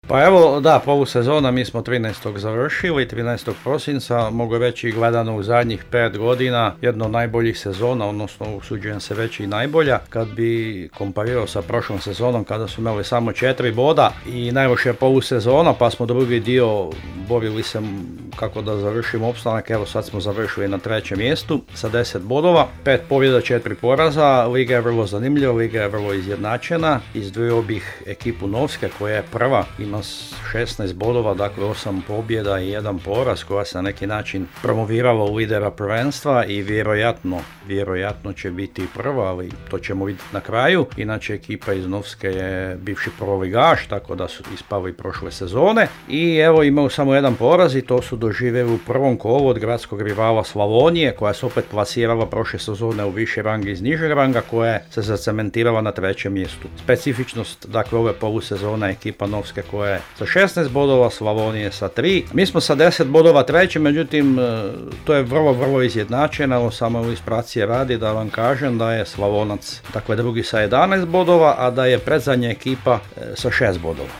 Pa evo, da, polusezona mi smo 13. završili, 13. prosinca, mogu reći gledano u zadnjih 5 godina, jedna od najboljih sezona, odnosno usuđujem se reći i najbolja, kad bi komparirao sa prošlom sezonom kada su imali samo 4 boda i najlošija polusezona, pa smo drugi dio borili se kako da završimo opstanak, evo sad smo završili na 3. mjestu sa 10 bodova, 5 pobjeda, 4 poraza, liga je vrlo zanimljiva, liga je vrlo izjednačena, izdvojio bih ekipu Novske koja je prva, ima 16 bodova, dakle 8 pobjeda i 1 poraz, koja se na neki način promovirala u lidera prvenstva i vjerojatno će biti prva, ali to ćemo vidjeti na kraju. Inače ekipa iz Novske je bivši prvoligaš, tako da su ispali prošle sezone i evo imaju samo 1 poraz i to su doživjeli u prvom kolu od gradskog rivala Slavonije, koja se opet plasirala prošle sezone u viši rang iz nižeg ranga, koja se zacementirala na 3. mjestu. Specifičnost dakle ove polusezone ekipa Novske koja je sa 16 bodova, Slavonije sa 3. Mi smo sa 10 bodova 3. međutim to je vrlo izjednačeno, samo ilustracije radi da vam kažem da je Slavonac dakle drugi sa 11 bodova, a da je predzadnja ekipa sa 6 bodova.